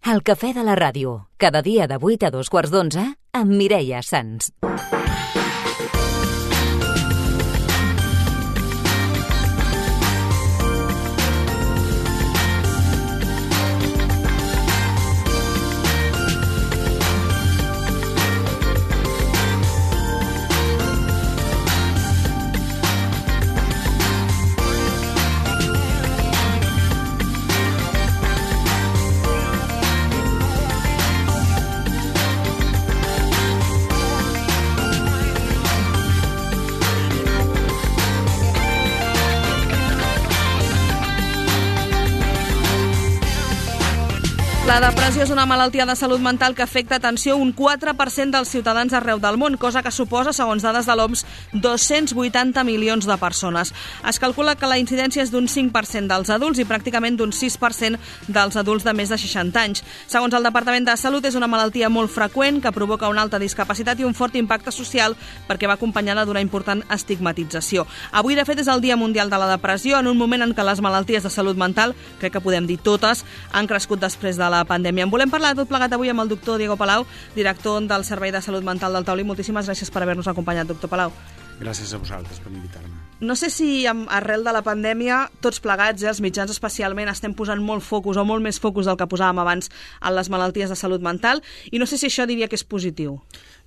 El cafè de la ràdio, cada dia de 8 a 2:15, amb Mireia Sans. La depressió és una malaltia de salut mental que afecta, atenció, un 4% dels ciutadans arreu del món, cosa que suposa, segons dades de l'OMS, 280 milions de persones. Es calcula que la incidència és d'un 5% dels adults i pràcticament d'un 6% dels adults de més de 60 anys. Segons el Departament de Salut, és una malaltia molt freqüent que provoca una alta discapacitat i un fort impacte social perquè va acompanyada d'una important estigmatització. Avui, de fet, és el Dia Mundial de la Depressió, en un moment en què les malalties de salut mental, crec que podem dir totes, han crescut després de la pandèmia. En volem parlar tot plegat avui amb el doctor Diego Palau, director del Servei de Salut Mental del Taulí. Moltíssimes gràcies per haver-nos acompanyat, doctor Palau. Gràcies a vosaltres per invitar-me. No sé si arrel de la pandèmia, tots plegats, els mitjans especialment, estem posant molt focus o molt més focus del que posàvem abans en les malalties de salut mental, i no sé si això diria que és positiu.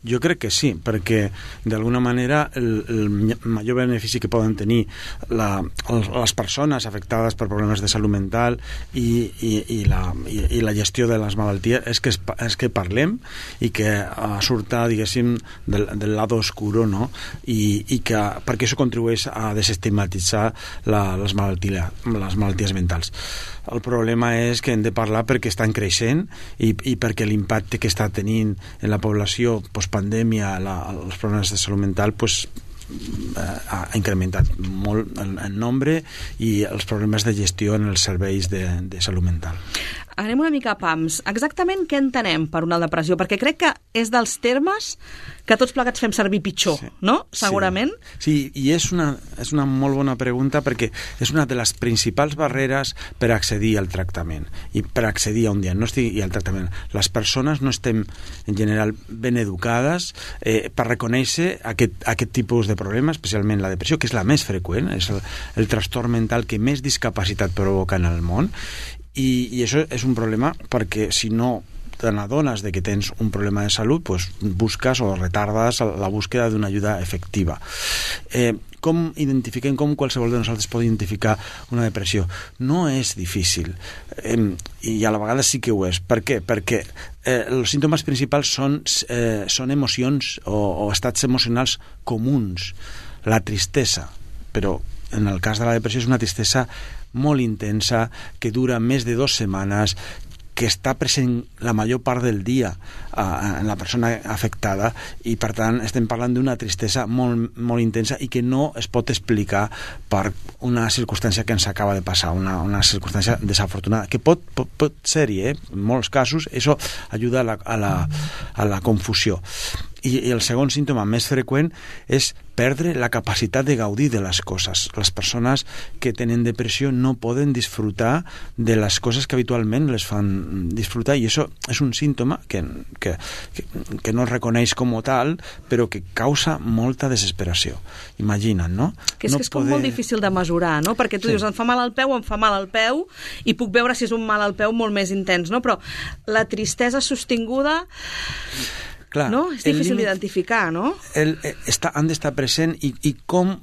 Jo crec que sí, perquè d'alguna manera el major benefici que poden tenir les persones afectades per problemes de salut mental i la gestió de les malalties és que parlem i que surta, diguéssim, del lado oscuro, no? I que perquè això contribueix a desestigmatitzar les malalties mentals. El problema és que hem de parlar perquè estan creixent i perquè l'impacte que està tenint en la població postpandèmia els problemes de salut mental ha incrementat molt el nombre i els problemes de gestió en els serveis de salut mental. Anem una mica a pams. Exactament què entenem per una depressió? Perquè crec que és dels termes que tots plegats fem servir pitjor, sí, no? Segurament. Sí, i és una molt bona pregunta perquè és una de les principals barreres per accedir al tractament i per accedir a un diagnòstic i al tractament. Les persones no estem, en general, ben educades per reconèixer aquest tipus de problemes, especialment la depressió, que és la més freqüent, és el trastorn mental que més discapacitat provoca en el món. I això és un problema perquè si no te n'adones de que tens un problema de salut, pues busques o retardes la búsqueda d'una ajuda efectiva. Com identifiquem, com qualsevol de nosaltres pot identificar una depressió? No és difícil, i a la vegada sí que ho és. Per què? Perquè els símptomes principals són emocions o estats emocionals comuns. La tristesa, però en el cas de la depressió és una tristesa molt intensa, que dura més de 2 setmanes, que està present la major part del dia en la persona afectada i, per tant, estem parlant d'una tristesa molt, molt intensa i que no es pot explicar per una circumstància que ens acaba de passar, una circumstància desafortunada, que pot ser-hi, en molts casos, això ajuda a la confusió. I el segon símptoma més freqüent és perdre la capacitat de gaudir de les coses. Les persones que tenen depressió no poden disfrutar de les coses que habitualment les fan disfrutar, i això és un símptoma que no es reconeix com a tal, però que causa molta desesperació. Imagina't, no? Que és com molt difícil de mesurar, no? Perquè tu dius, em fa mal el peu, i puc veure si és un mal al peu molt més intens, no? Però la tristesa sostinguda... Clar, no? És difícil d'identificar, no? Han d'estar present i com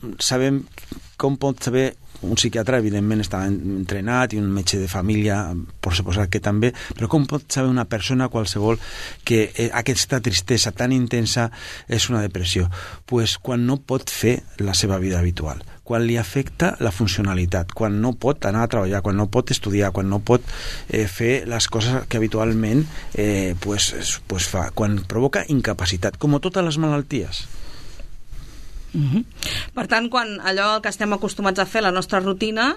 pot saber un psiquiatre, evidentment, està entrenat, i un metge de família, per suposar que també, però com pot saber una persona qualsevol que aquesta tristesa tan intensa és una depressió? Pues quan no pot fer la seva vida habitual, quan li afecta la funcionalitat, quan no pot anar a treballar, quan no pot estudiar, quan no pot fer les coses que habitualment fa, quan provoca incapacitat, com totes les malalties. Per tant, quan allò que estem acostumats a fer, la nostra rutina,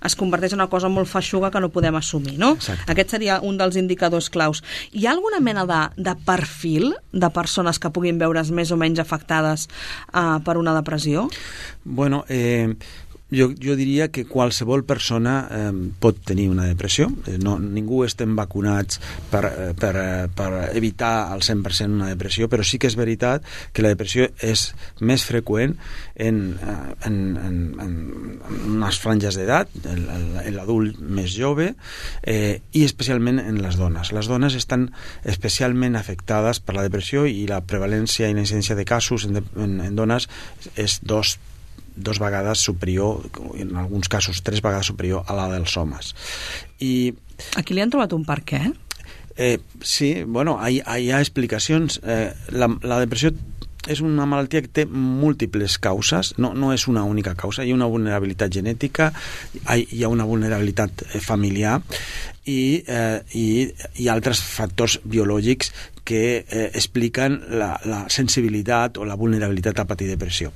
es converteix en una cosa molt feixuga que no podem assumir, no? Exacte. Aquest seria un dels indicadors claus. Hi ha alguna mena de perfil de persones que puguin veure's més o menys afectades per una depressió? Bueno, Jo diria que qualsevol persona pot tenir una depressió. Ningú estem vacunats per evitar al 100% una depressió, però sí que és veritat que la depressió és més freqüent en unes franges d'edat, l'adult més jove, i especialment en les dones. Les dones estan especialment afectades per la depressió i la prevalència i la incidència de casos en dones és dos vegades superior, en alguns casos 3 vegades superior a la dels homes. I aquí li han trobat un per què? Sí, bueno, hi ha explicacions. La depressió és una malaltia que té múltiples causes, no és una única causa. Hi ha una vulnerabilitat genètica, hi ha una vulnerabilitat familiar i altres factors biològics que expliquen la sensibilitat o la vulnerabilitat a patir depressió.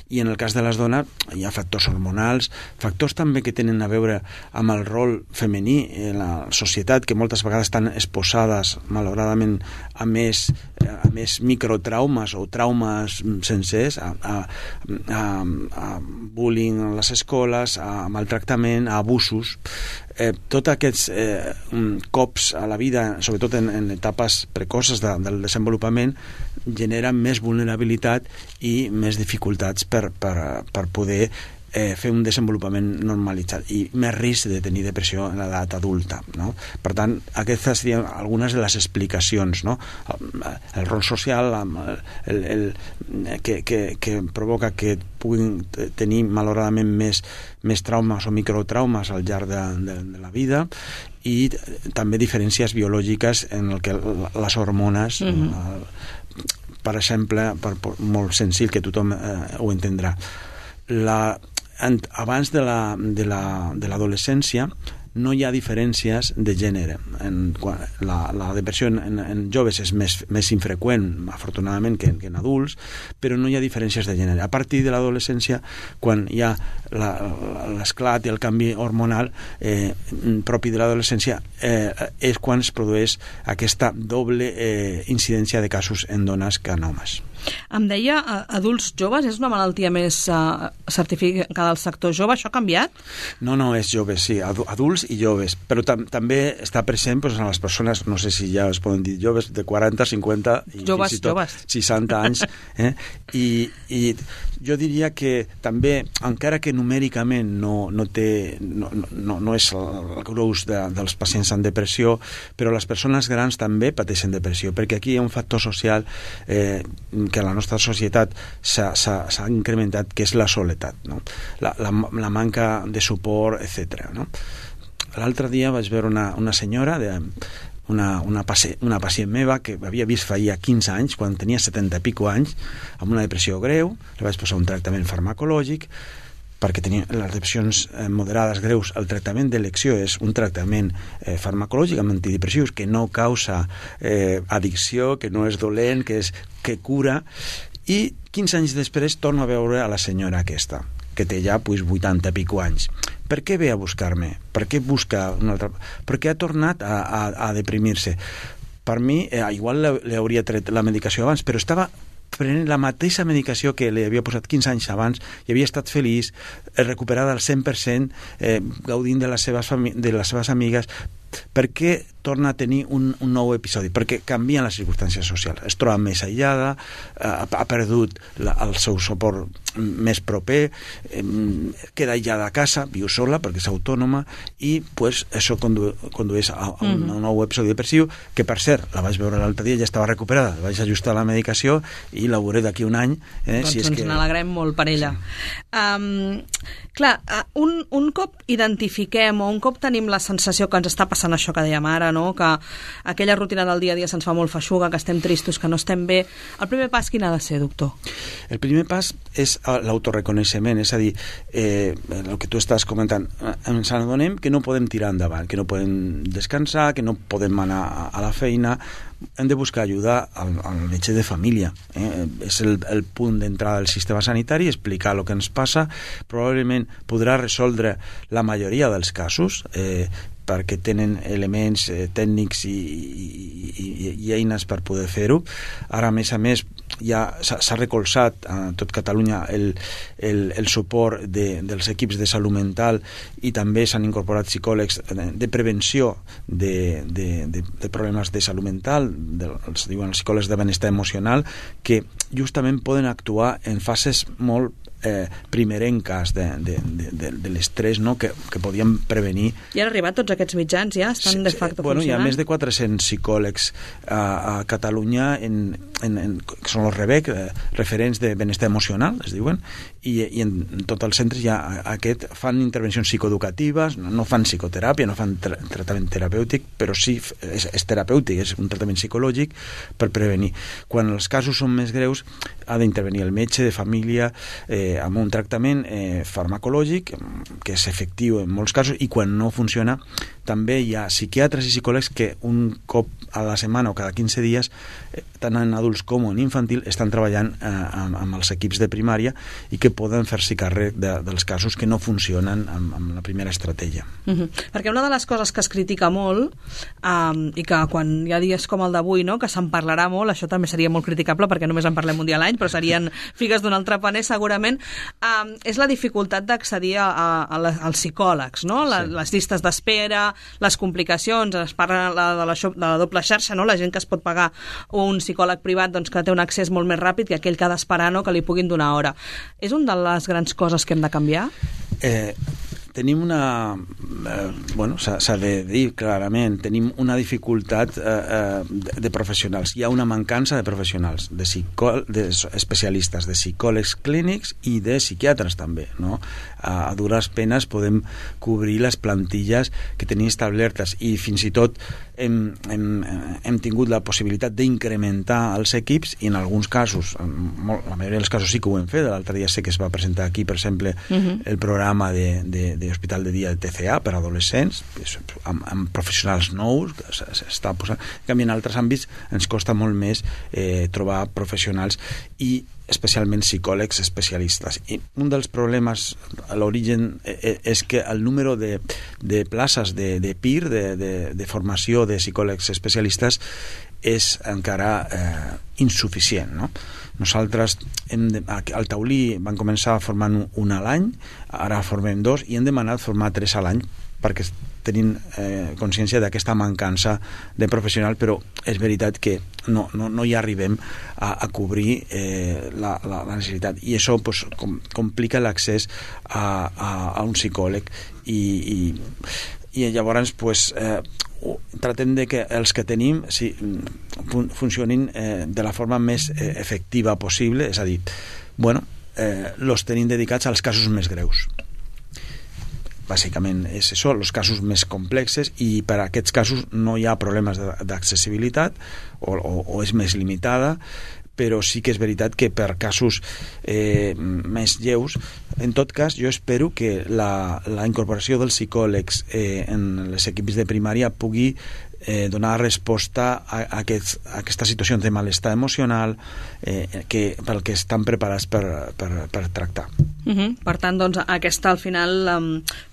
I en el cas de les dones hi ha factors hormonals, factors també que tenen a veure amb el rol femení en la societat, que moltes vegades estan exposades, malauradament, a més microtraumes o traumes sencers, a bullying a les escoles, a maltractament, a abusos. Tots aquests cops a la vida, sobretot en etapes precoces del desenvolupament, generen més vulnerabilitat i més dificultats per poder fer un desenvolupament normalitzat i més risc de tenir depressió en l'edat adulta, no? Per tant, aquestes serien algunes de les explicacions, no? El rol social que provoca que puguin tenir malauradament més traumes o microtraumes al llarg de la vida, i també diferències biològiques en el que les hormones, per exemple, molt senzill, que tothom ho entendrà. Abans de l'adolescència no hi ha diferències de gènere. La depressió en joves és més infreqüent, afortunadament, que en adults, però no hi ha diferències de gènere. A partir de l'adolescència, quan hi ha l'esclat i el canvi hormonal propi de l'adolescència, és quan es produeix aquesta doble incidència de casos en dones que en homes. Em deia, adults joves, és una malaltia més certificada del sector jove? Això ha canviat? No, és joves, sí, adults i joves, però també està present en les persones, no sé si ja es poden dir joves, de 40, 50 i joves, fins i tot 60 anys. I jo diria que també, encara que numèricament no és el gruix dels pacients amb depressió, però les persones grans també pateixen depressió, perquè aquí hi ha un factor social que a la nostra societat s'ha incrementat, que és la soledat, no? La manca de suport, etc. No? L'altre dia vaig veure una senyora, una pacient meva, que havia vist feia 15 anys, quan tenia 70 i pico anys, amb una depressió greu. Li vaig posar un tractament farmacològic, perquè tenia les depressions moderades greus. El tractament d'elecció és un tractament farmacològic amb antidepressius que no causa addicció, que no és dolent, que cura. I 15 anys després torno a veure a la senyora aquesta, que té ja 80 i pico anys. Per què ve a buscar-me? Per què busca una altra? Perquè ha tornat a deprimir-se. Per mi, igual li hauria tret la medicació abans, però estava prenent la mateixa medicació que li havia posat 15 anys abans, i havia estat feliç, recuperada al 100%, gaudint de les seves amigues. Per què torna a tenir un nou episodi? Perquè canvien les circumstàncies socials. Es troba més aïllada, ha perdut el seu suport més proper, queda aïllada a casa, viu sola perquè és autònoma, i això condueix a un nou episodi depressiu, que per cert, la vaig veure l'altre dia, ja estava recuperada, la vaig ajustar la medicació i la veuré d'aquí un any. Doncs ens n'alegrem molt per ella. Clar, un cop identifiquem o un cop tenim la sensació que ens està passant això que dèiem ara, no? Que aquella rutina del dia a dia se'ns fa molt feixuga, que estem tristos, que no estem bé, el primer pas quin ha de ser, doctor? El primer pas és l'autoreconeixement, és a dir, el que tu estàs comentant, ens adonem que no podem tirar endavant, que no podem descansar, que no podem anar a la feina. Hem de buscar ajuda al metge de família. És el punt d'entrada del sistema sanitari, explicar el que ens passa. Probablement podrà resoldre la majoria dels casos, perquè tenen elements tècnics i eines per poder fer-ho. Ara, a més, ja s'ha recolzat a tot Catalunya el suport dels equips de salut mental, i també s'han incorporat psicòlegs de prevenció de problemes de salut mental, els diuen els psicòlegs de benestar emocional, que justament poden actuar en fases molt primerenques de l'estrès, no? que podien prevenir. I han arribat tots aquests mitjans, ja estan de facto funcionant? Hi ha més de 400 psicòlegs a Catalunya que són els REBEC, referents de benestar emocional, es diuen, i en tots els centres fan intervencions psicoeducatives, no fan psicoteràpia, no fan tractament terapèutic, però sí és terapèutic, és un tractament psicològic per prevenir. Quan els casos són més greus, ha d'intervenir el metge de família amb un tractament farmacològic que és efectiu en molts casos, i quan no funciona també hi ha psiquiatres i psicòlegs que un cop a la setmana o cada 15 dies, tant en adults com en infantil, estan treballant amb els equips de primària i que poden fer-s'hi càrrec dels casos que no funcionen amb la primera estratègia. Perquè una de les coses que es critica molt, i que quan hi ha dies com el d'avui, no, que se'n parlarà molt, això també seria molt criticable perquè només en parlem un dia a l'any, però serien figues d'un altre paner segurament, és la dificultat d'accedir als psicòlegs, no? Les llistes d'espera, les complicacions, es parla de la doble xarxa, no? La gent que es pot pagar un psicòleg privat, doncs, que té un accés molt més ràpid que aquell que ha d'esperar, no? Que li puguin donar hora. És una de les grans coses que hem de canviar? Tenim s'ha de dir clarament, tenim una dificultat de professionals. Hi ha una mancança de professionals, de especialistes, de psicòlegs clínics i de psiquiatres també, no? A dures penes podem cobrir les plantilles que tenim establertes, i fins i tot hem tingut la possibilitat d'incrementar els equips, i en alguns casos, la majoria dels casos sí que ho hem fet. L'altre dia sé que es va presentar aquí, per exemple, el programa d'Hospital de Dia de TCA per a adolescents, amb professionals nous, que s'està posant. En canvi, en altres àmbits ens costa molt més trobar professionals, i especialment psicòlegs especialistes. I un dels problemes a l'origen és que el número de places de PIR, de formació de psicòlegs especialistes, és encara insuficient, no? Nosaltres al Taulí vam començar formant un a l'any, ara formem 2, i hem demanat formar 3 a l'any, perquè tenim consciència d'aquesta mancança de professional, però és veritat que no hi arribem a cobrir la necessitat, i això complica l'accés a un psicòleg, i llavors tratem de que els que tenim funcionin de la forma més efectiva possible, és a dir, els tenim dedicats als casos més greus. Bàsicament és això, els casos més complexes, i per a aquests casos no hi ha problemes d'accessibilitat o és més limitada, però sí que és veritat que per casos més lleus, en tot cas, jo espero que la incorporació dels psicòlegs en les equips de primària pugui donar resposta a aquesta situació de malestar emocional pel que estan preparats per tractar. Per tant, doncs, aquesta, al final,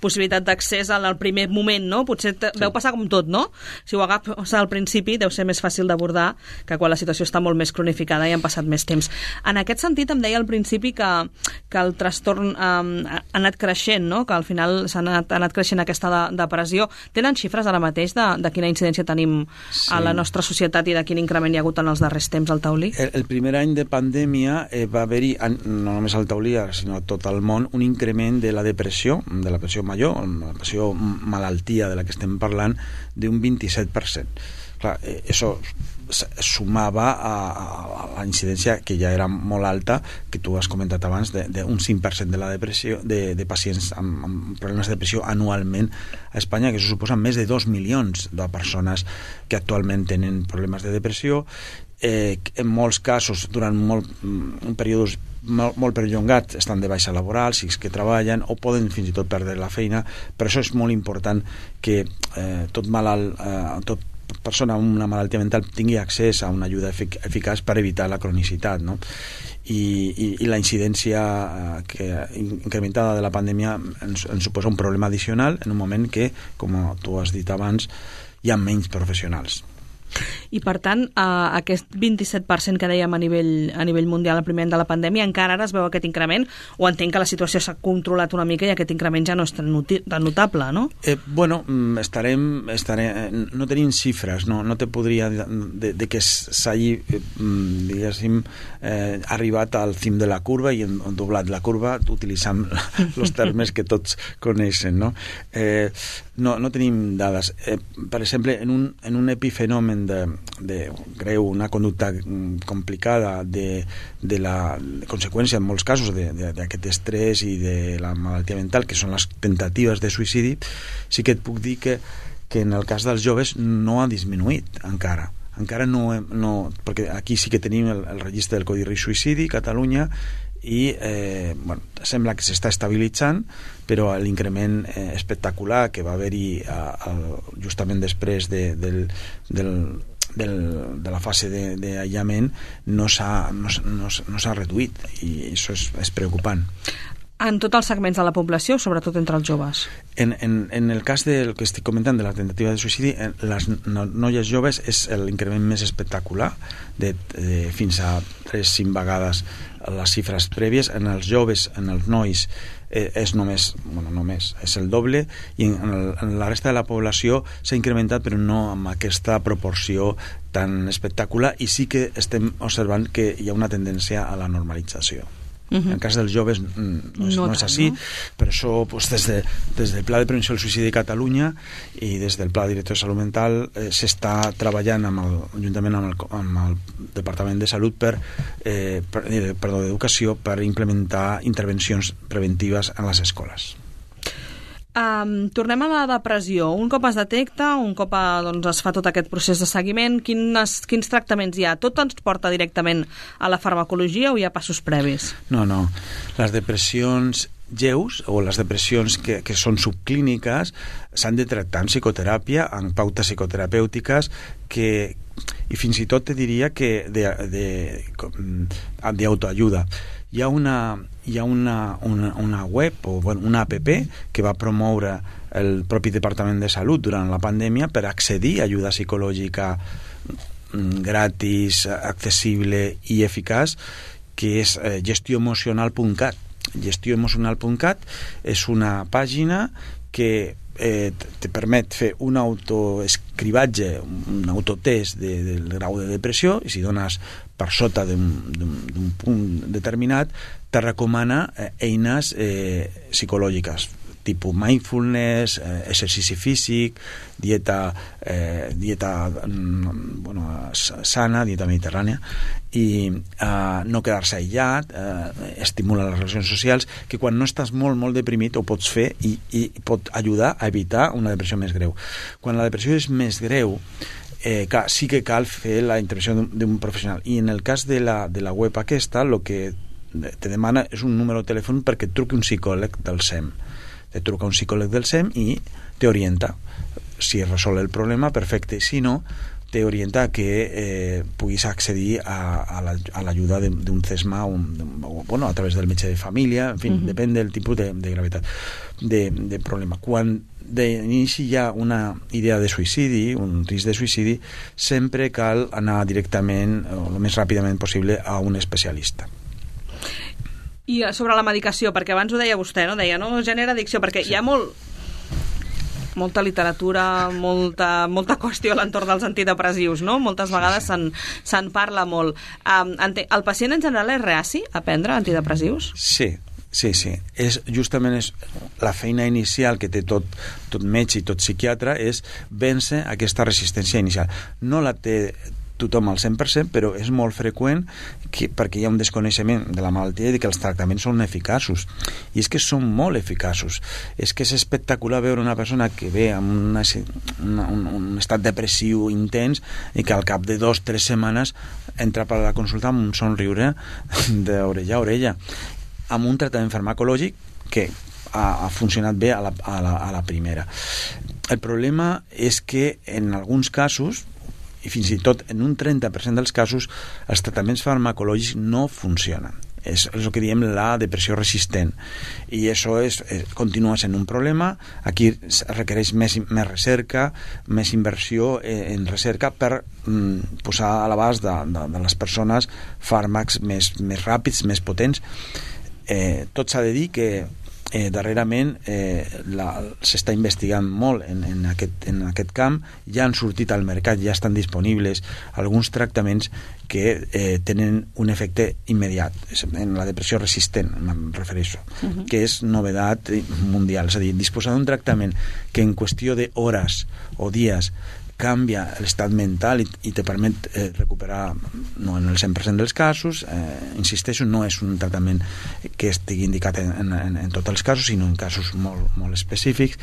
possibilitat d'accés al primer moment, no? Potser deu passar com tot, no? Si ho agafes al principi, deu ser més fàcil d'abordar que quan la situació està molt més cronificada i han passat més temps. En aquest sentit, em deia al principi que el trastorn ha anat creixent, no? Que al final s'ha anat creixent aquesta depressió. Tenen xifres ara mateix de quina incidència tenim a la nostra societat i de quin increment hi ha hagut en els darrers temps al Taulí? El primer any de pandèmia va haver-hi, no només al Taulí, sinó a tot el món, un increment de la depressió major, la depressió malaltia de la que estem parlant, d'un 27%. Clar, això sumava a la incidència, que ja era molt alta, que tu has comentat abans, d'un 5% de la depressió, de pacients amb problemes de depressió anualment a Espanya, que això suposa més de 2 milions de persones que actualment tenen problemes de depressió. En molts casos, durant un període molt perllongat, estan de baixa laboral, si és que treballen, o poden fins i tot perdre la feina. Per això és molt important que tot malalt, tot persona amb una malaltia mental tingui accés a una ajuda eficaç per evitar la cronicitat, no? I la incidència incrementada de la pandèmia ens suposa un problema addicional en un moment que, com tu has dit abans, hi ha menys professionals. I per tant, aquest 27% que dèiem a nivell mundial al primer any de la pandèmia, encara ara es veu aquest increment, o entenc que la situació s'ha controlat una mica i aquest increment ja no és tan notable, no? No tenim xifres, no te podria de que s'hagi, diguéssim, arribat al cim de la curva i han doblat la curva utilitzant els termes que tots coneixen, no? No tenim dades. Per exemple, en un epifenomen greu, una conducta complicada de la conseqüència en molts casos d'aquest estrès i de la malaltia mental, que són les temptatives de suïcidi, sí que et puc dir que en el cas dels joves no ha disminuït encara no, perquè aquí sí que tenim el registre del Codi Risc Suïcidi, Catalunya, i sembla que s'està estabilitzant, però l'increment espectacular que va haver-hi justament després de la fase d'aïllament no s'ha reduït, i això és preocupant. En tots els segments de la població, sobretot entre els joves? En el cas del que estic comentant de la tentativa de suïcidi, les noies joves és l'increment més espectacular, de fins a 3-5 vegades les xifres prèvies. En els joves, en els nois, és només és el doble, i en la resta de la població s'ha incrementat, però no amb aquesta proporció tan espectacular, i sí que estem observant que hi ha una tendència a la normalització. En el cas dels joves no és així, no? Per això des del Pla de Prevenció del Suïcidi de Catalunya i des del Pla Director de Salut Mental s'està treballant juntament amb el Departament de Salut d'Educació per implementar intervencions preventives en les escoles. Tornem a la depressió. Un cop es detecta, un cop es fa tot aquest procés de seguiment, quins tractaments hi ha? Tot ens porta directament a la farmacologia o hi ha passos previs? No. Les depressions lleus o les depressions que són subclíniques s'han de tractar en psicoteràpia, en pautes psicoterapèutiques, i fins i tot te diria que d'autoajuda. Hi ha una web o una app que va promoure el propi Departament de Salut durant la pandèmia per accedir a ajuda psicològica gratis, accessible i eficaç, que és gestioemocional.cat. Gestioemocional.cat és una pàgina que te permet fer un autoescrivatge, un autotest del grau de depressió, i si dones per sota d'un punt determinat, te recomana eines psicològiques, tipus mindfulness, exercici físic, dieta sana, dieta mediterrània, i no quedar-se aïllat, estimula les relacions socials, que quan no estàs molt deprimit ho pots fer i pot ajudar a evitar una depressió més greu. Quan la depressió és més greu, sí que cal fer la intervenció d'un professional, i en el cas de la web aquesta, el que te demana és un número de telèfon perquè et truqui un psicòleg del SEM. Te truca un psicòleg del SEM i t'orienta. Si resol el problema, perfecte. Si no, t'orienta que puguis accedir a l'ajuda d'un CESMA a través del metge de família, en fi, depèn del tipus de gravetat de problema. Quan d'inici hi ha una idea de suïcidi, un risc de suïcidi, sempre cal anar directament, o el més ràpidament possible, a un especialista. I sobre la medicació, perquè abans ho deia vostè, no? Deia, no genera addicció, perquè hi ha molta literatura, molta qüestió a l'entorn dels antidepressius, no? Moltes vegades se'n parla molt. El pacient en general és reaci a prendre antidepressius? Sí. Justament la feina inicial que té tot metge i tot psiquiatre és vèncer aquesta resistència inicial. No la té tothom al 100%, però és molt freqüent perquè hi ha un desconeixement de la malaltia i que els tractaments són eficaços. I és que són molt eficaços. És que és espectacular veure una persona que ve amb un estat depressiu intens i que al cap de 2-3 setmanes entra per la consulta amb un somriure d'orella a orella, amb un tractament farmacològic que ha funcionat bé a la primera. El problema és que en alguns casos, i fins i tot en un 30% dels casos, els tractaments farmacològics no funcionen. és el que diem la depressió resistent, i això continua sent un problema. Aquí requereix més recerca, més inversió en recerca per posar a l'abast de les persones fàrmacs més ràpids, més potents. Tot s'ha de dir que darrerament s'està investigant molt en aquest camp. Ja han sortit al mercat, ja estan disponibles alguns tractaments que tenen un efecte immediat en la depressió resistent, me'n refereixo, que és novedat mundial. És a dir, disposar d'un tractament que en qüestió d'hores o dies canvia l'estat mental i te permet recuperar, no en el 100% dels casos, insisteixo, no és un tractament que estigui indicat en tots els casos, sinó en casos molt específics.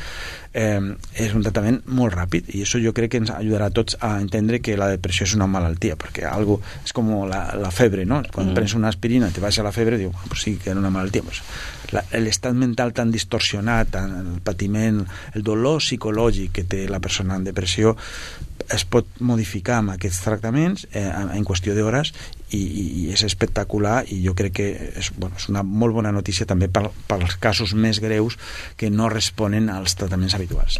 És un tractament molt ràpid, i això jo crec que ens ajudarà a tots a entendre que la depressió és una malaltia, perquè algo és com la febre, no? Quan prens una aspirina te baixa la febre, diu, pues sí que era una malaltia. Pues, l'estat mental tan distorsionat, el patiment, el dolor psicològic que té la persona en depressió es pot modificar amb aquests tractaments en qüestió d'hores, i és espectacular, i jo crec que és una molt bona notícia també pels casos més greus que no responen als tractaments habituals.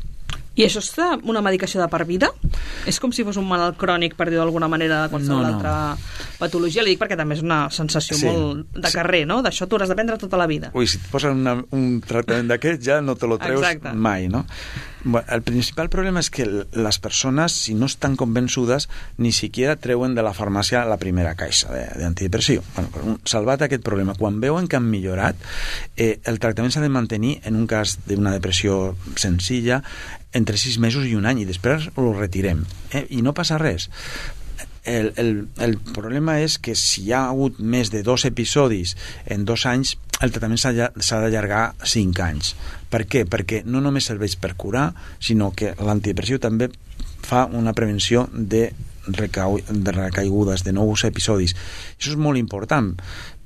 I això és una medicació de per vida? És com si fos un malalt crònic, per dir-ho d'alguna manera, de qualsevol altra patologia? Li dic perquè també és una sensació molt de carrer, no? D'això t'ho hauràs de prendre tota la vida. Ui, si et posen un tractament d'aquest ja no te lo treus mai, no? El principal problema és que les persones, si no estan convençudes, ni siquiera treuen de la farmàcia la primera caixa d'antidepressiu. Salvat aquest problema, quan veuen que han millorat, el tractament s'ha de mantenir, en un cas d'una depressió senzilla, entre 6 mesos i un any, i després ho retirem, i no passa res. El problema és que si hi ha hagut més de 2 episodis en 2 anys, el tractament s'ha d'allargar 5 anys. Per què? Perquè no només serveix per curar, sinó que l'antidepressiu també fa una prevenció de recaigudes, de nous episodis. Això és molt important,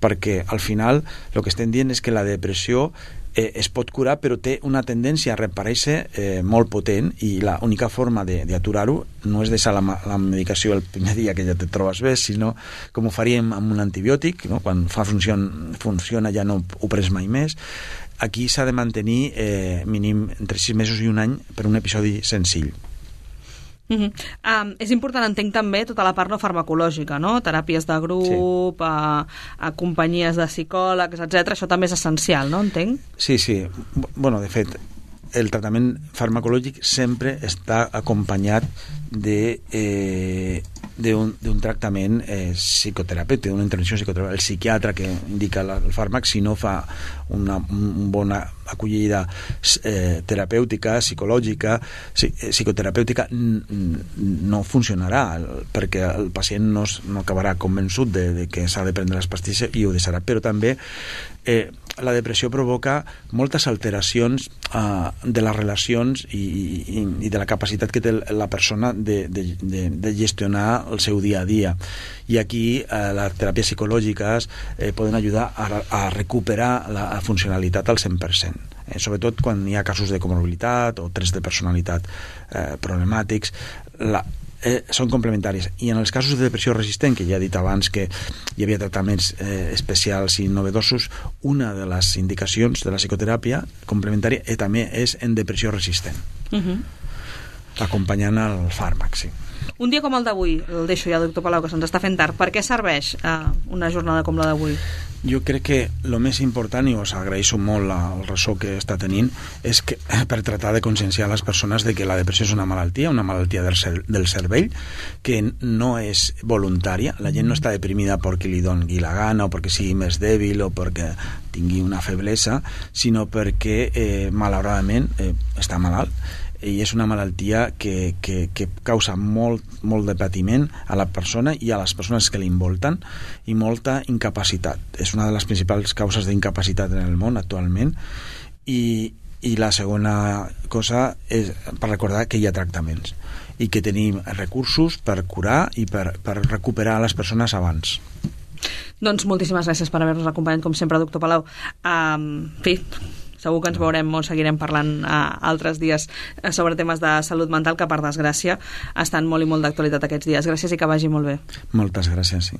perquè al final el que estem dient és que la depressió es pot curar, però té una tendència a reaparèixer molt potent, i l'única forma d'aturar-ho no és deixar la medicació el primer dia que ja te trobes bé, sinó com ho faríem amb un antibiòtic, no? Quan funciona ja no ho prens mai més. Aquí s'ha de mantenir mínim entre 6 mesos i un any per un episodi senzill. És important, entenc, també tota la part no farmacològica, no? Teràpies de grup, a companyies de psicòlegs, etc. Això també és essencial, no? Entenc? Sí. De fet, el tractament farmacològic sempre està acompanyat d'un tractament psicoterapèutic, d'una intervenció psicoterapèutica. El psiquiatre que indica el fàrmac, si no fa una bona acollida terapèutica, psicològica, psicoterapèutica, no funcionarà, perquè el pacient no acabarà convençut de que s'ha de prendre les pastilles i ho deixarà. Però també la depressió provoca moltes alteracions de les relacions i de la capacitat que té la persona de gestionar el seu dia a dia. I aquí les teràpies psicològiques poden ajudar a recuperar la funcionalitat al 100%. Sobretot quan hi ha casos de comorbilitat o trets de personalitat problemàtics, són complementaris. I en els casos de depressió resistent, que ja he dit abans que hi havia tractaments especials i novedosos, una de les indicacions de la psicoteràpia complementària també és en depressió resistent, acompanyant el fàrmac, sí. Un dia com el d'avui, el deixo ja, doctor Palau, que se'ns està fent tard, per què serveix una jornada com la d'avui? Jo crec que el més important, i us agraeixo molt el ressò que està tenint, és que per tractar de conscienciar les persones de que la depressió és una malaltia del cervell, que no és voluntària. La gent no està deprimida perquè li doni la gana o perquè sigui més dèbil o perquè tingui una feblesa, sinó perquè malauradament està malalt, i és una malaltia que causa molt de patiment a la persona i a les persones que l'envolten, i molta incapacitat. És una de les principals causes d'incapacitat en el món actualment, i la segona cosa és per recordar que hi ha tractaments i que tenim recursos per curar i per recuperar les persones abans. Doncs moltíssimes gràcies per haver-nos acompanyat, com sempre, doctor Palau. En fi, segur que ens veurem o seguirem parlant altres dies sobre temes de salut mental, que per desgràcia estan molt i molt d'actualitat aquests dies. Gràcies i que vagi molt bé. Moltes gràcies, sí.